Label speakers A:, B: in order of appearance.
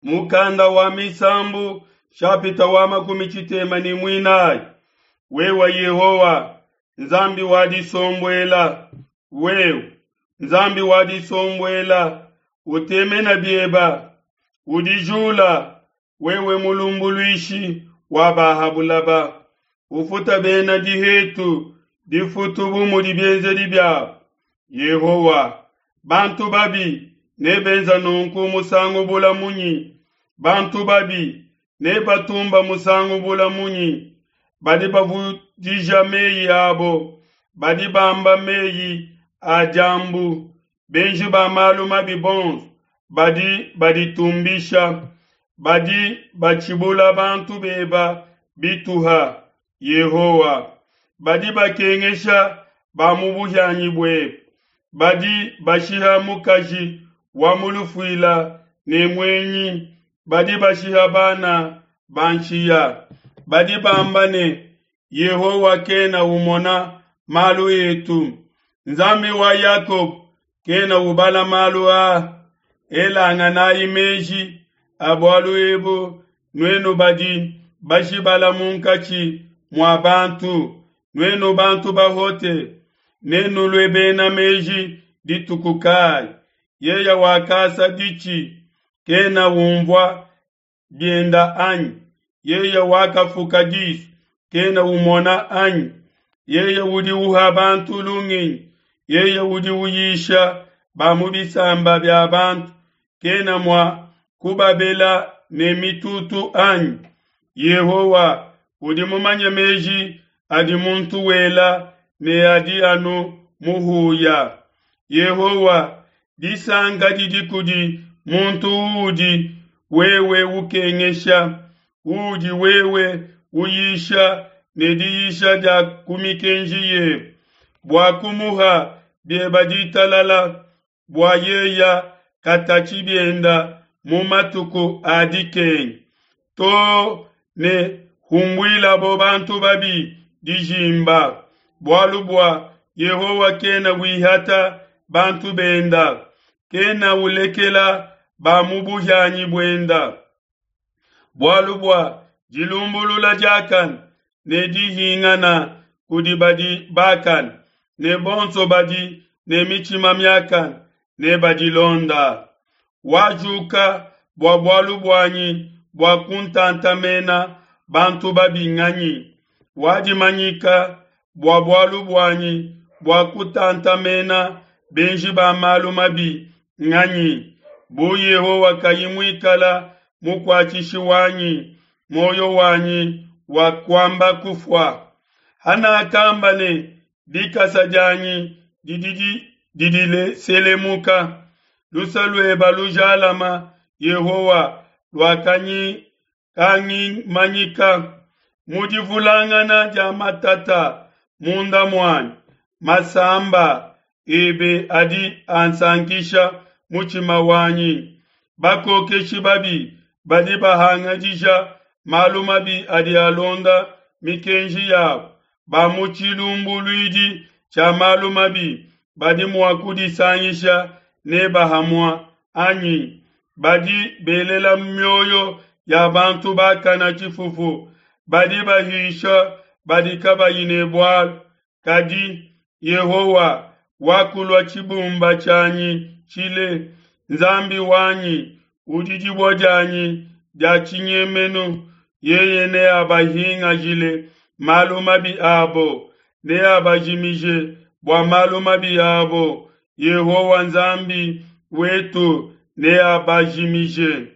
A: Mukanda wa Misambu shapita wa 34. Wewe Yehowa Nzambi wa disombuela, wewe Nzambi wa disombuela, utemena bieba, udijula wewe mulumbuluishi wa bahabulaba, ufuta bena dihetu difutu bu mudi bienzedi biabo. Yehowa, bantu babi nebenza nunku musangu bula munyi? Bantu babi nebatumba musangu bula munyi? Badi bavudija meyi abo, badi bamba meyi a diambu. Benji ba malu mabi bonso badi baditumbisha, badi batshibula bantu beba bituha. Yehowa, badi bakengesha ba mu buhianyi buebe, badi bashiha mukaji wa mu lufuila ne muenyi, badi bashiha bana ba nshiya. Badi bamba ne, Yehowa kena umona malu etu, Nzambi wa Yakobo kena ubala malu aa. Elanganayi meji a bualu ebu, nuenu badi bashibala munkatshi mua bantu, nuenu bantu bahote, nenulue bena meji dituku kayi? Yeye wakasa ditshi kena umvua bienda anyi? Yeye wakafuka disu kena umona anyi? Yeye udi uha bantu lungenyi, yeye udi uyisha ba mu bisamba bia bantu, kena mua kubabela ne mitutu anyi? Yehowa udi mumanye meji adi muntu wela ne adi anu muhuya. Yehowa, disanka didi kudi muntu uudi wewe ukengesha, uudi wewe uyisha ne diyisha dia ku mikenji yebe, bua kumuha bieba ditalala, bua yeya katatshi bienda mu matuku a dikenga, too ne humbuilabo bantu babi dijimba. Bualu bua Yehowa kena wihata bantu benda, kena ulekela ba mu buhianyi buenda. Bualu bua dilumbulula diakane ne dihingana kudi badi bakane, ne bonso badi ne mitshima miakane nebadilonda. Wajuka bua bualu buanyi bua kuntantamena bantu babi nganyi? Wadimanyika bua bualu buanyi bua kutantamena benji ba malu mabi nganyi? Bu Yehowa kayi muikala mukuatshishi wanyi, muoyo wanyi wakuamba kufua. Hanakamba ne, Dikasa dianyi didi didiselemuka, luse lueba lujalama, Yehowa, luakangimanyika. Mu divulangana dia matata munda muanyi, masamba ebe adi ansankisha mutshima wanyi. Bakokeshi babi badi bahangadija malu mabi adi alonda mikenji yabo. Ba mu tshilumbuluidi tshia malu mabi badi mua kudisangisha neba hamua anyi? Badi belela mioyo ya bantu bakana tshifufu, badi bahisha badi kabayi ne bualu. Kadi Yehowa wakulua tshibumba tshianyi tshile, Nzambi wanyi udi dibue dianyi dia tshinyemenu. Yeye neabahingajile malu mabi abo, neabajimije bua malu mabi abo. Yehowa Nzambi wetu neabajimije.